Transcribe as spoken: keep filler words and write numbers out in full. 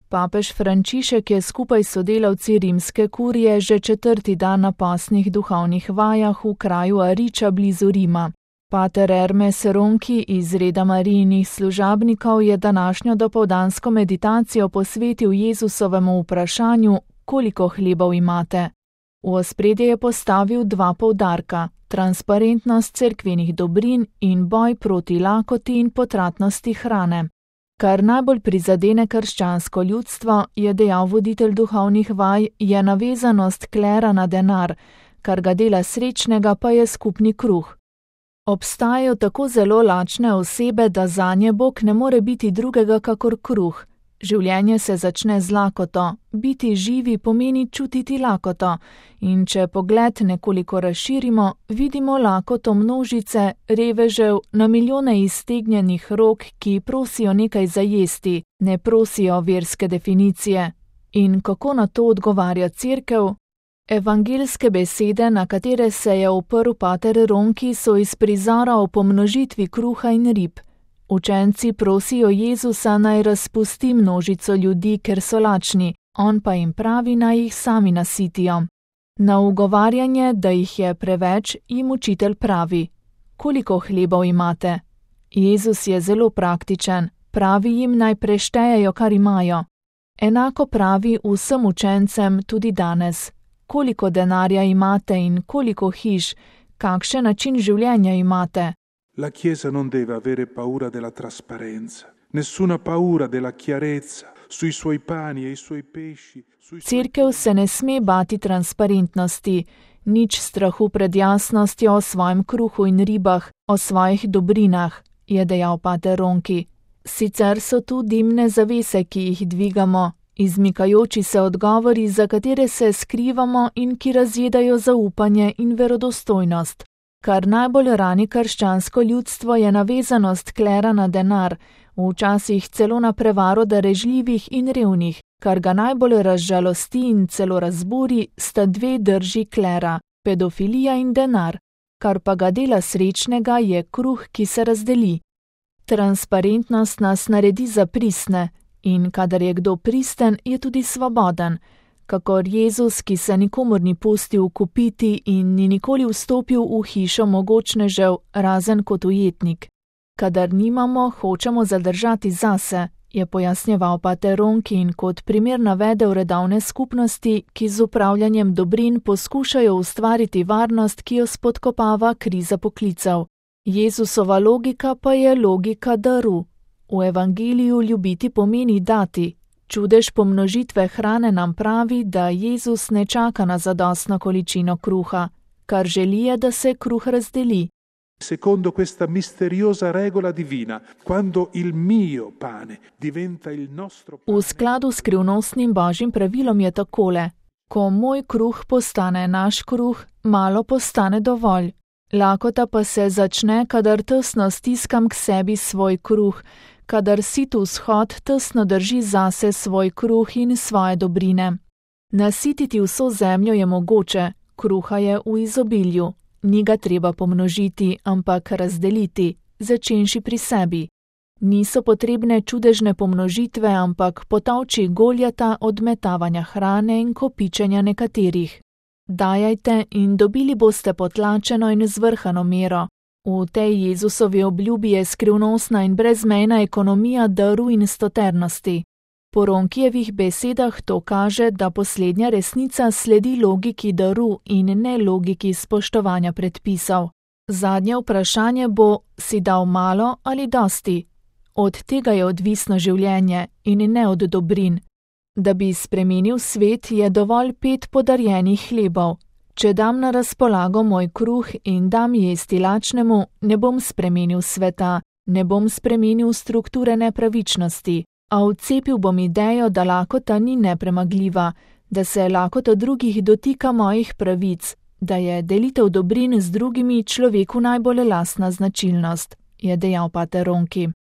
Papež Frančišek je skupaj s sodelavci rimske kurije že četrti dan na postnih duhovnih vajah v kraju Ariča blizu Rima. Pater Hermes Ronchi iz reda Marijinih služabnikov je današnjo dopoldansko meditacijo posvetil Jezusovemu vprašanju, koliko hlebov imate. V ospredje je postavil dva poudarka, transparentnost cerkvenih dobrin in boj proti lakoti in potratnosti hrane. Kar najbolj prizadene krščansko ljudstvo, je dejal voditelj duhovnih vaj, je navezanost klera na denar, kar ga dela srečnega pa je skupni kruh. Obstajajo tako zelo lačne osebe, da zanje Bog ne more biti drugega kakor kruh. Življenje se začne z lakoto, biti živi pomeni čutiti lakoto, in če pogled nekoliko razširimo, vidimo lakoto množice, revežev, na milijone iztegnjenih rok, ki prosijo nekaj za jesti, ne prosijo verske definicije. In kako na to odgovarja cerkev? Evangelske besede, na katere se je oprl pater Ronchi, so iz prizora o pomnožitvi kruha in rib. Učenci prosijo Jezusa, naj razpusti množico ljudi, ker so lačni, on pa jim pravi, naj jih sami nasitijo. Na ugovarjanje, da jih je preveč, jim učitelj pravi: koliko hlebov imate? Jezus je zelo praktičen, pravi jim, naj preštejejo, kar imajo. Enako pravi vsem učencem tudi danes: koliko denarja imate in koliko hiš, kakšen način življenja imate? La Chiesa non deve avere paura della trasparenza, nessuna paura della chiarezza sui suoi pani e i suoi pesci. Sui Cerkev se ne sme bati transparentnosti, nič strahu pred jasnostjo o svojem kruhu in ribah, o svojih dobrinah, je dejal pater Ronchi. Sicer so tu dimne zavese, ki jih dvigamo, izmikajoči se odgovori, za katere se skrivamo in ki razjedajo zaupanje in verodostojnost. Kar najbolj rani krščansko ljudstvo, je navezanost klera na denar, včasih celo na prevaro darežljivih in revnih. Kar ga najbolj razžalosti in celo razburi, sta dve drži klera, pedofilija in denar. Kar pa ga dela srečnega, je kruh, ki se razdeli. Transparentnost nas naredi za pristne, in kadar je kdo pristen, je tudi svoboden. Kakor Jezus, ki se nikomur ni pustil kupiti in ni nikoli vstopil v hišo mogočnežev, razen kot ujetnik. Kadar nimamo, hočemo zadržati zase, je pojasnjeval pater Ronchi in kot primer navedel redovne skupnosti, ki z upravljanjem dobrin poskušajo ustvariti varnost, ki jo spodkopava kriza poklicev. Jezusova logika pa je logika daru. V evangeliju ljubiti pomeni dati. Čudež pomnožitve hrane nam pravi, da Jezus ne čaka na zadostno količino kruha, kar želi je, da se kruh razdeli. Secondo questa misteriosa regola divina, quando il mio pane diventa il nostro pane. V skladu s skrivnostnim božjim pravilom je takole: ko moj kruh postane naš kruh, malo postane dovolj. Lakota pa se začne, kadar tesno stiskam k sebi svoj kruh, kadar sit vzhod tesno drži zase svoj kruh in svoje dobrine. Nasititi vso zemljo je mogoče, kruha je v izobilju. Ni ga treba pomnožiti, ampak razdeliti, začenši pri sebi. Niso potrebne čudežne pomnožitve, ampak potolči Goljata odmetavanja hrane in kopičenja nekaterih. Dajajte in dobili boste potlačeno in zvrhano mero. V tej Jezusovi obljubi je skrivnostna in brezmejna ekonomija daru in stoternosti. Po Ronchijevih besedah to kaže, da poslednja resnica sledi logiki daru in ne logiki spoštovanja predpisov. Zadnje vprašanje bo, si dal malo ali dosti? Od tega je odvisno življenje in ne od dobrin. Da bi spremenil svet, je dovolj pet podarjenih hlebov. Če dam na razpolago moj kruh in dam jesti lačnemu, ne bom spremenil sveta, ne bom spremenil strukture nepravičnosti, a vcepil bom idejo, da lakota ni nepremagljiva, da se lakota drugih dotika mojih pravic, da je delitev dobrin z drugimi človeku najbolj lastna značilnost, je dejal pater Ronchi.